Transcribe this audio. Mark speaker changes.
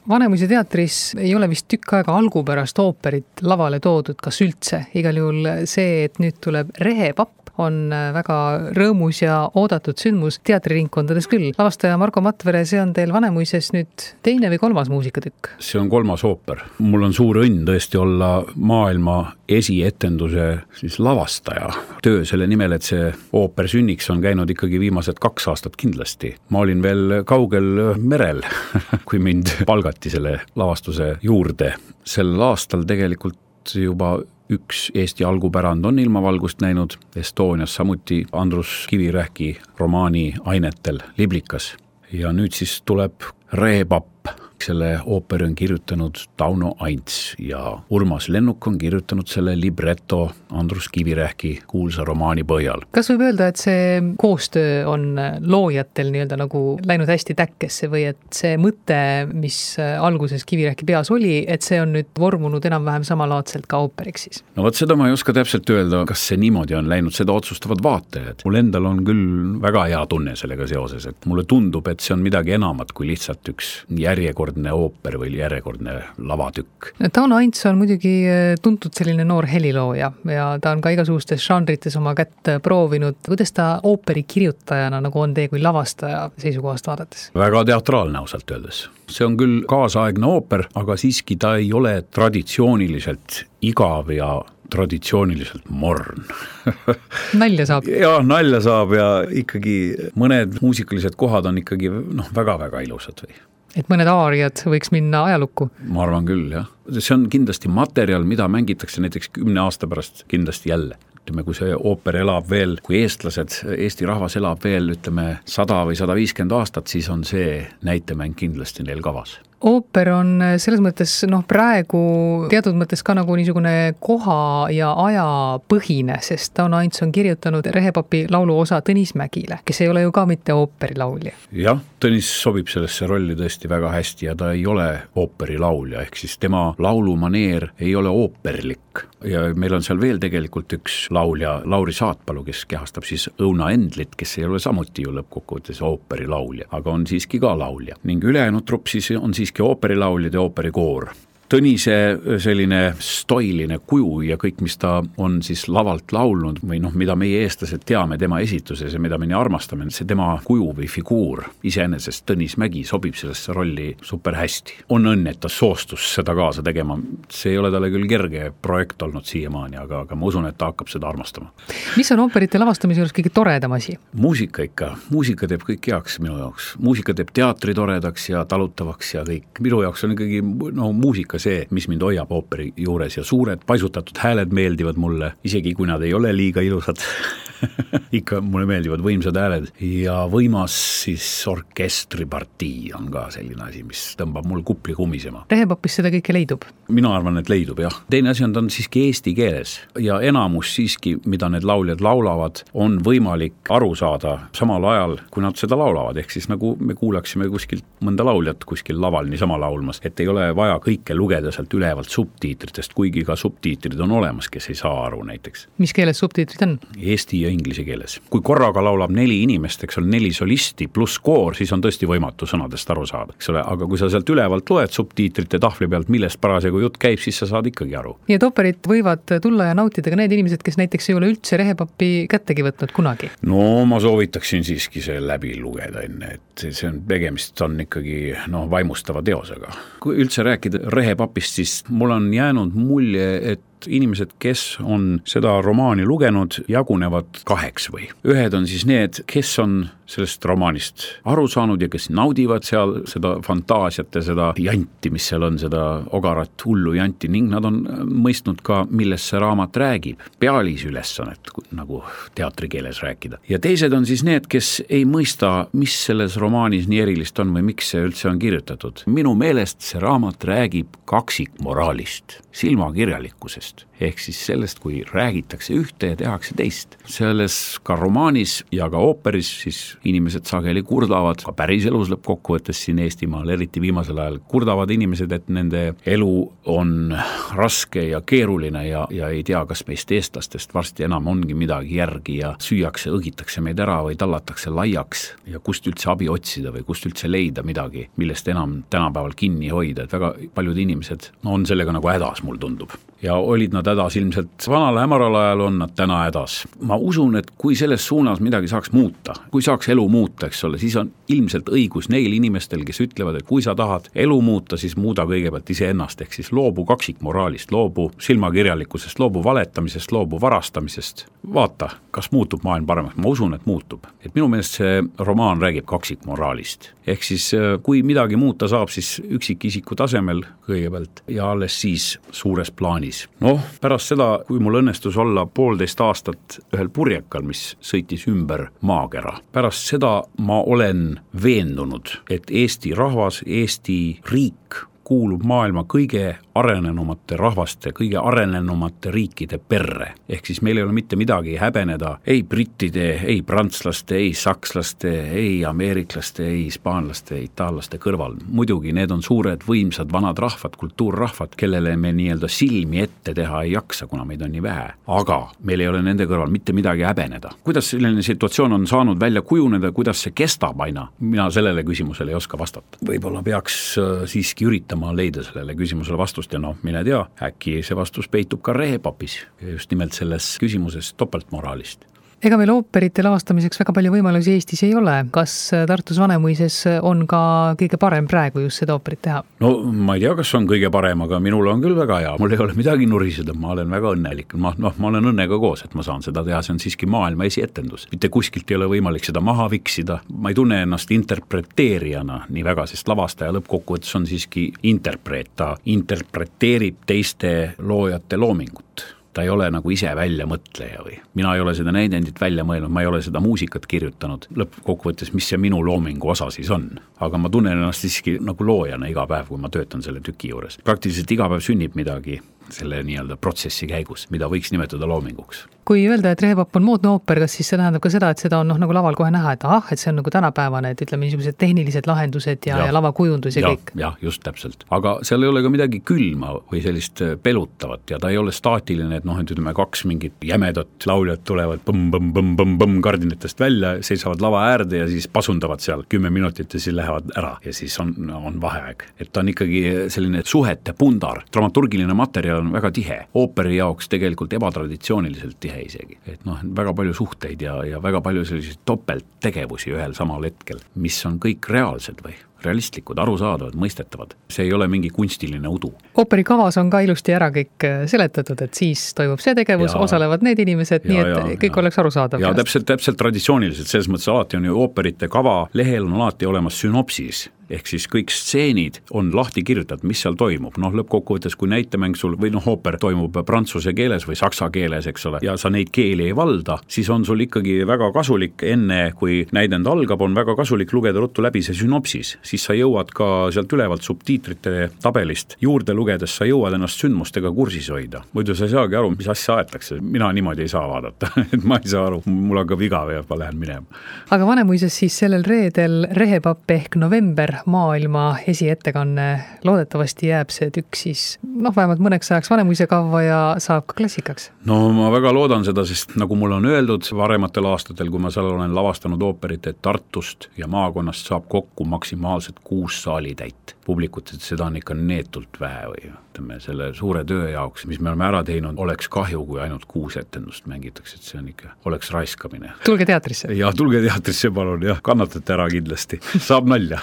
Speaker 1: Vanemuise teatris ei ole vist tükk aega algupärast ooperit lavale toodud, kas üldse. Igal juhul see, et nüüd tuleb Rehepapp, on väga rõõmus ja oodatud sündmus teatriringkondades küll. Lavastaja Marko Matvere, see on teil Vanemuises nüüd teine või kolmas muusikatükk?
Speaker 2: See on kolmas ooper. Mul on suur õnn tõesti olla maailma esietenduse siis lavastaja. Töö selle nimel, et see ooper sünniks, on käinud ikkagi viimased 2 aastat kindlasti. Ma olin veel kaugel merel, kui mind palgati selle lavastuse juurde. Sel aastal tegelikult juba üks Eesti algupärand on ilmavalgust näinud, Estonias samuti Andrus Kivirähki romaani ainetel Liblikas. Ja nüüd siis tuleb Rehepapp. Selle ooperi on kirjutanud Tauno Aints ja Urmas Lennuk on kirjutanud selle libretto Andrus Kivirähki kuulsa romaani põhjal.
Speaker 1: Kas võib öelda, et see koostöö on loojatel nii-öelda nagu läinud hästi täkkesse või et see mõte, mis alguses Kivirähki peas oli, et see on nüüd vormunud enam-vähem samalaadselt ka ooperiks siis?
Speaker 2: No vot seda ma ei oska täpselt öelda, kas see niimoodi on läinud, seda otsustavad vaatajad. Mul endal on küll väga hea tunne sellega seoses, et mulle tundub, et see on midagi enamat kui lihtsalt üks järjekordne ooper või järjekordne lavatükk.
Speaker 1: Tauno Aints on muidugi tuntud selline noor helilooja ja ta on ka igasugustes žanrites oma kätt proovinud. Kuidas ta ooperi kirjutajana nagu on teie kui lavastaja seisukohast vaadates?
Speaker 2: Väga teatraalne ausalt öeldes. See on küll kaasaegne ooper, aga siiski ta ei ole traditsiooniliselt igav ja traditsiooniliselt morn.
Speaker 1: Nalja saab.
Speaker 2: Ja, nalja saab ja ikkagi mõned muusikalised kohad on ikkagi väga-väga ilusad või.
Speaker 1: Et mõned aariad võiks minna ajalukku?
Speaker 2: Ma arvan küll, jah. See on kindlasti materjal, mida mängitakse näiteks 10 aasta pärast kindlasti jälle. Ütleme, kui see ooper elab veel, kui eestlased, Eesti rahvas elab veel, 100 või 150 aastat, siis on see näitemäng kindlasti neil kavas.
Speaker 1: Ooper on selles mõttes praegu teatud mõttes ka nagu niisugune koha ja aja põhine, sest Tauno Aints on kirjutanud Rehepapi laulu osa Tõnis Mägile, kes ei ole ju ka mitte ooperilaulja.
Speaker 2: Jah, Tõnis sobib sellesse rolli tõesti väga hästi ja ta ei ole ooperilaulja, ehk siis tema laulumaneer ei ole ooperlik. Ja meil on seal veel tegelikult üks laulja, Lauri Saatpalu, kes kehastab siis Õuna Endlit, kes ei ole samuti ju lõppkokkuvõttes ooperilaulja, aga on siiski ka laulja. Ning ülejäänud trupp siis on siiski ooperilauljad ja ooperikoor. Tõnise selline stoiline kuju ja kõik, mis ta on siis lavalt laulnud või mida meie eestlased teame tema esituses ja mida me nii armastame, see tema kuju või figuur. Iseenesest Tõnis Mägi sobib sellesse rolli super hästi. On õnn, et ta soostus seda kaasa tegema. See ei ole talle küll kerge projekt olnud siiamaani, aga ma usun, et ta hakkab seda armastama.
Speaker 1: Mis on ooperite lavastamise juures kõige toredam asi?
Speaker 2: Muusika ikka. Muusika teeb kõik heaks minu jaoks. Muusika teeb teatri toredaks ja talutavaks ja kõik. Minu jaoks on ikkagi muusika see, mis mind hoiab ooperi juures ja suured paisutatud hääled meeldivad mulle, isegi kui nad ei ole liiga ilusad. Ikka mulle meeldivad võimsad hääled ja võimas siis orkestripartii on ka selline asi, mis tõmbab mul kupli kumisema.
Speaker 1: Rehepapis seda kõike leidub?
Speaker 2: Mina arvan, et leidub, jah. Teine asi on, ta on siiski eesti keeles ja enamus siiski, mida need lauljad laulavad, on võimalik aru saada samal ajal, kui nad seda laulavad. Ehk siis nagu me kuulaksime kuskilt mõnda lauljat kuskil laval niisama laulmas, et ei ole vaja kõike lugeda sealt ülevalt subtiitritest, kuigi ka subtiitrid on olemas, kes ei saa aru näiteks.
Speaker 1: Mis keeles subtiitrid on?
Speaker 2: Eesti ja inglise keeles. Kui korraga laulab 4 inimest, eks on 4 solisti pluss koor, siis on tõesti võimatu sõnadest aru saada, eks ole, aga kui sa sealt ülevalt loed subtiitrite tahvli pealt, millest parasjagu jutt käib, siis sa saad ikkagi aru.
Speaker 1: Nii et ooperit võivad tulla ja nautida ka need inimesed, kes näiteks ei ole üldse Rehepapi kättegi võtnud kunagi?
Speaker 2: No ma soovitaksin siiski see läbi lugeda enne, et see on tegemist on ikkagi vaimustava teosega. Kui üldse rääkida Rehepapist, siis mul on jäänud mulje, et inimesed, kes on seda romaani lugenud, jagunevad 2 või. Ühed on siis need, kes on sellest romaanist aru saanud ja kes naudivad seal seda fantaasiat ja seda janti, mis seal on, seda ogarat hullu janti, ning nad on mõistnud ka, millest see raamat räägib. Pealisülesannet, nagu teatrikeeles rääkida. Ja teised on siis need, kes ei mõista, mis selles romaanis nii erilist on või miks see üldse on kirjutatud. Minu meelest see raamat räägib kaksikmoraalist, silmakirjalikkusest. tegevusest. Ehk siis sellest, kui räägitakse ühte ja tehakse teist. Selles ka romaanis ja ka ooperis siis inimesed sageli kurdavad, ka päris elus lõppkokkuvõttes siin Eestimaal, eriti viimasel ajal, kurdavad inimesed, et nende elu on raske ja keeruline ja ei tea, kas meist eestlastest varsti enam ongi midagi järgi ja süüakse, õgitakse meid ära või tallatakse laiaks ja kust üldse abi otsida või kust üldse leida midagi, millest enam tänapäeval kinni hoida, et väga paljud inimesed on sellega nagu hädas, mul tundub. Ja olid nad hädas ilmselt vanal hämaral ajal, on nad täna hädas. Ma usun, et kui selles suunas midagi saaks muuta, kui saaks elu muuta, eks ole, siis on ilmselt õigus neil inimestel, kes ütlevad, et kui sa tahad elu muuta, siis muuda kõigepealt iseennast, ehk siis loobu kaksikmoraalist, loobu silmakirjalikkusest, loobu valetamisest, loobu varastamisest. Vaata, kas muutub maailm paremaks. Ma usun, et muutub. Et minu meelest see romaan räägib kaksikmoraalist. Ehk siis kui midagi muuta saab, siis üksikisiku tasemel kõigepealt ja alles siis suures plaanis. Noh, pärast seda, kui mul õnnestus olla 1,5 aastat ühel purjekal, mis sõitis ümber maakera. Pärast seda ma olen veendunud, et Eesti rahvas, Eesti riik kuulub maailma kõige arenenumate rahvaste, kõige arenenumate riikide perre. Ehk siis meil ei ole mitte midagi häbeneda ei brittide, ei prantslaste, ei sakslaste, ei ameeriklaste, ei hispaanlaste, itaallaste kõrval. Muidugi need on suured, võimsad, vanad rahvad, kultuurrahvad, kellele me nii-öelda silmi ette teha ei jaksa, kuna meid on nii vähe. Aga meil ei ole nende kõrval mitte midagi häbeneda. Kuidas selline situatsioon on saanud välja kujuneda, kuidas see kestab aina? Mina sellele küsimusele ei oska vastata. Võib-olla peaks siiski üritama leida sellele küsimusele vastust ja mine tea, äkki see vastus peitub ka rehepapis, just nimelt selles küsimuses topeltmoraalist.
Speaker 1: Ega meil ooperite lavastamiseks väga palju võimalusi Eestis ei ole. Kas Tartus Vanemuises on ka kõige parem praegu just seda ooperit teha?
Speaker 2: No ma ei tea, kas on kõige parem, aga minul on küll väga hea. Mul ei ole midagi nuriseda, ma olen väga õnnelik. Ma olen õnnega koos, et ma saan seda teha. See on siiski maailma esietendus. Mitte kuskilt ei ole võimalik seda maha viksida. Ma ei tunne ennast interpreteerijana nii väga, sest lavastaja lõppkokkuvõttes on siiski interpreet. Ta interpreteerib teiste loojate loomingut. Ta ei ole nagu ise väljamõtleja või mina ei ole seda näidendit välja mõelnud, ma ei ole seda muusikat kirjutanud lõppkokkuvõttes, mis see minu loomingu osa siis on. Aga ma tunnen ennast siiski nagu loojana iga päev, kui ma töötan selle tüki juures. Praktiliselt iga päev sünnib midagi selle nii-öelda protsessi käigus, mida võiks nimetada loominguks.
Speaker 1: Kui öelda, et Rehepapp on moodne ooper, kas siis see tähendab ka seda, et seda on nagu laval kohe näha, et et see on nagu tänapäevane, et ütleme niisugused tehnilised lahendused ja lavakujundus ja kõik?
Speaker 2: Jah, just täpselt. Aga seal ei ole ka midagi külma või sellist pelutavat ja ta ei ole staatiline, et ütleme 2 mingit jämedat lauljat tulevad põmm kardinatest välja, seisavad lava äärde ja siis pasundavad seal 10 minutit ja siis lähevad ära ja siis on vaheaeg. Et ta on ikkagi selline suhete pundar, dramaturgiline materjal on väga tihe, ooperi jaoks tegelikult ebatraditsiooniliselt tihe isegi, et väga palju suhteid ja väga palju selliseid topelttegevusi ühel samal hetkel, mis on kõik reaalsed või realistlikud, arusaadavad, mõistetavad. See ei ole mingi kunstiline udu.
Speaker 1: Ooperi kavas on ka ilusti ära kõik seletatud, et siis toimub see tegevus, osalevad need inimesed, nii et kõik oleks arusaadav.
Speaker 2: Ja täpselt traditsiooniliselt, selles mõttes alati on ju ooperite kava, lehel on alati olemas synopsis, ehk siis kõik stseenid on lahti kirjutatud, mis seal toimub. Lõppkokkuvõttes, kui näitemäng sul või ooper toimub prantsuse keeles või saksa keeles, eks ole, ja sa neid keeli ei valda, siis on sul ikkagi väga kasulik enne, kui näidend algab, on väga kasulik lugeda ruttu läbi see synopsis. Siis sa jõuad ka sealt ülevalt subtiitrite tabelist juurde lugedes, sa jõuad ennast sündmustega kursis hoida. Muidu sa ei saagi aru, mis asja aetakse. Mina niimoodi ei saa vaadata, et ma ei saa aru, mul hakkab viga või ma lähen minema.
Speaker 1: Aga Vanemuises siis sellel reedel Rehepapp ehk November maailma esiettekanne, loodetavasti jääb see tükk siis vähemalt mõneks ajaks Vanemuise kavva ja saab ka klassikaks.
Speaker 2: No ma väga loodan seda, sest nagu mulle on öeldud varematel aastatel, kui ma seal olen lavastanud ooperit, et Tartust ja maakonnast saab kokku maksimaalselt 6 saalitäit publikut, et seda on ikka neetult vähe või ütleme selle suure töö jaoks, mis me oleme ära teinud, oleks kahju, kui ainult 6 etendust mängitakse, et see on ikka, oleks raiskamine.
Speaker 1: Tulge teatrisse.
Speaker 2: Ja tulge teatrisse palun, kannatate ära kindlasti, saab nalja.